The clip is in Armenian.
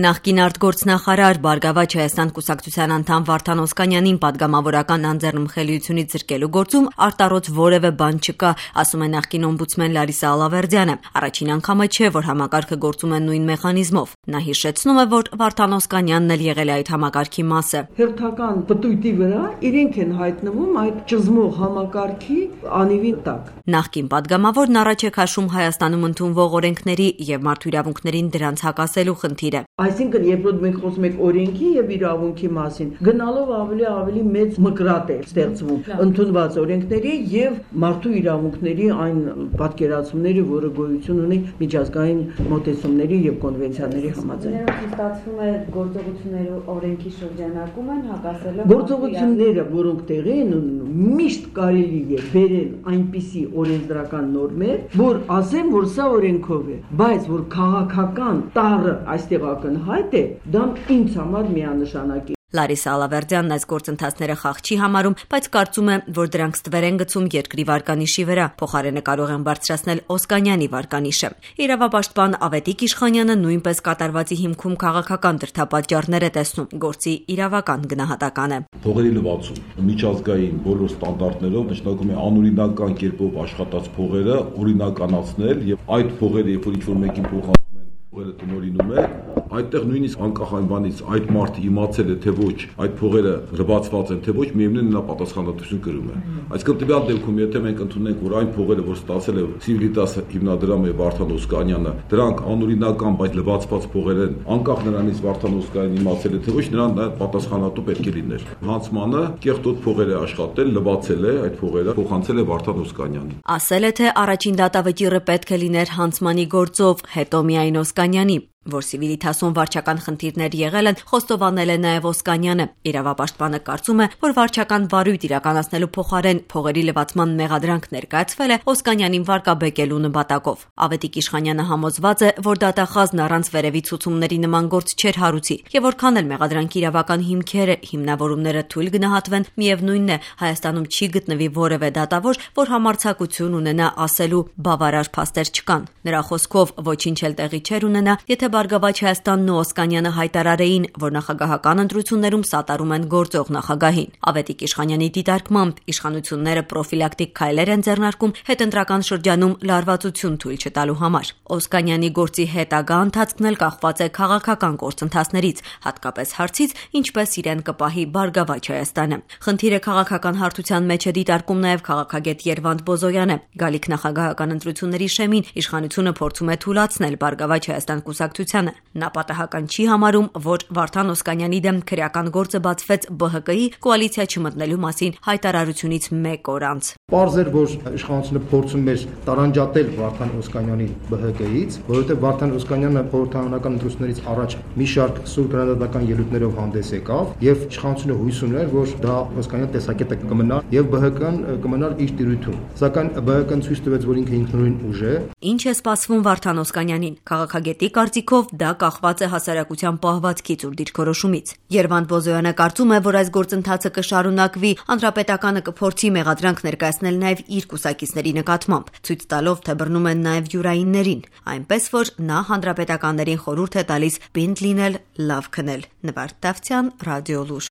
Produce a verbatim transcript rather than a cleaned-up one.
Նախկին արտգործնախարար Բարգավաճ Հայաստան կուսակցության անդամ Վարդան Օսկանյանին պատգամավորական անձեռնմխելիությունից զրկելու գործում արտառոց որևէ բան չկա, ասում է նախկին օմբուդսմեն Լարիսա Ալավերդյանը։ Առաջին անգամը չէ, որ համակարգը գործում է նույն մեխանիզմով։ Նա հիշեցնում է, որ Վարդան Օսկանյանն էլ եղել է այդ համակարգի մասը։ Հերթական պտույտի վրա իրենք են հայտնվում այդ ճզմող համակարգի անիվի տակ։ Նախկին պատգամավորն առաջ է քաշում Հայաստանում ընդունվող օրենքների եւ մարդու իրավունքներին դրանց հակասելու խնդիրը։ Այսինքն, երբ որ մենք խոսում ենք օրենքի եւ իրավունքի մասին, գնալով ավելի ավելի մեծ մկրատ է ստեղծվում ընդունված օրենքների եւ մարդու իրավունքների այն պատկերացումների, որը գոյություն ունի միջազգային մոտեցումների եւ կոնվենցիաների համաձայն։ Ստացվում է գործողությունները օրենքի շրջանակում են հակասելով գործողությունները, որոնք տեղի են ունենում, միշտ կարելի է բերել այնպիսի օրենսդրական նորմեր, որ ասեմ, որ սա օրենքով է, բայց որ քաղաքական տարը այստեղ ակնհայտ է, դա ինձ համար միանշանակ է։ Լարիսա Ալավերդյանն այս գործընթացները խաղ չի համարում, բայց կարծում է, որ դրանք ստվեր են գցում երկրի վարկանիշի վրա, փոխարենը կարող են բարձրացնել Օսկանյանի վարկանիշը։ Իրավապաշտպան Ավետիք Իշխանյանը նույնպես կատարվածի հիմքում քաղաքական դրդապատճառներ է տեսնում, գործի իրավական գնահատական է։ Փողերի լվացում միջազգային բոլոր ստանդարտներով նշանակում է անօրինական կերպով աշխատած փողերը օրինականացնել եւ այդ փողերը, երբ որ ինչ-որ մեկին փոխանցում են, փողերը տնօրինում է, այդտեղ նույնիսկ անկախ այն բանից այդ մարդը իմացել է թե ոչ այդ փողերը լվացված են թե ոչ, միևնույն նա պատասխանատվություն կրում է։ Այսինքն տվյալ դեպքում, եթե մենք ընդունենք, որ այն փողերը, որ ստացել է Civitas հիմնադրամը Վարդան Օսկանյանը, դրանք անօրինական, բայց լվացված փողեր են, անկախ նրանից Վարդան Օսկանյանն իմացել է թե ոչ, նրան դա պատասխանատու պետք է լիներ։ Հանցմանը կեղտոտ փողեր է աշխատել, լվացել է այդ փողերը, փոխանցել է Վարդան Օսկանյանին։ Ասել է, թե առաջին դատավճիռը պետք է լիներ հանցմանի գործով, հետո միայն Օսկանյանի։ Որ Civitas-ում վարչական խնդիրներ եղել են, խոստովանել է նաև Օսկանյանը։ Իրավապաշտպանը կարծում է, որ վարչական վարույթ իրականացնելու փոխարեն փողերի լվացման մեղադրանք ներկայացվել է Օսկանյանին վարկաբեկելու նպատակով։ Ավետիք Իշխանյանը համոզված է, որ դատախազն առանց վերևի ցուցումների նման գործ չէր հարուցի, եւ որքան էլ մեղադրանքի իրավական հիմքերը, հիմնավորումները թույլ գնահատվեն, միևնույնն է, Հայաստանում չի գտնվի որևէ դատավոր, որ համարձակություն ունենա ասելու բավարար փաստեր չկան։ Նրա խոսքով ոչինչ էլ տեղի չէր ունենա, եթե Բարգավաճ Հայաստանն ու Օսկանյանը հայտարարեին, որ նախագահական ընտրություններում սատարում են գործող նախագահին։ Ավետիք Իշխանյանի դիտարկմամբ իշխանությունները պրոֆիլակտիկ քայլեր են ձեռնարկում հետընտրական շրջանում լարվածություն թույլ չտալու համար։ Օսկանյանի գործի հետագա ընթացքն էլ կախված է քաղաքական գործընթացներից, հատկապես հարցից, ինչպես իրեն կպահի Բարգավաճ Հայաստանը։ Խնդիրը քաղաքական հարթության մեջ է դիտարկում նաև քաղաքագետ Երվանդ Բոզոյանը։ Գալիք նախագահական ընտրությունների շեմին իշխանությունը փորձում է թույլատրել Բարգավաճ Հայաստան կուսակցությանը։ Նա պատահական չի համարում, որ Վարդան Օսկանյանի դեմ քրեական գործը բացվեց B H K-ի կոալիցիա չմտնելու մասին հայտարարությունից մեկ օր անց։ Պարզ էր, որ իշխանությունը փորձում էր տարանջատել Վարդան Օսկանյանին B H K-ից, որովհետև Վարդան Օսկանյանը խորհրդարանական ընտրություններից առաջ մի շարք սուր քննադատական ելույթներով հանդես եկավ, եւ իշխանությունը հույս ուներ, որ դա Օսկանյանի տեսակետը կմնա եւ B H K-ն կմնար իր տիրույթում։ Սակայն B H K-ն ցույց տվեց, որ ինքը ինքնուրույն ուժ է։ Ինչ է սպասվում Վարդան Օսկանյանին։ Քաղաքագետի կարծիքով դա կախված է հասարակության պահվածքից ու դիրքորոշումից։ Երվանդ Բոզոյանը կարծում է, որ այս գործընթացը կշարունակվի, հանրապետականը կփորձի մեղադրանք ներկայացնել նաև իր կուսակիցների նկատմամբ, ցույց տալով, թե բռնում են նաև յուրայիններին, այնպես որ նա հանրապետականներին խորհուրդ է տալիս պինդ լինել, լավ քնել։ Նվարդ Դավթյան, Ռադիոլուր։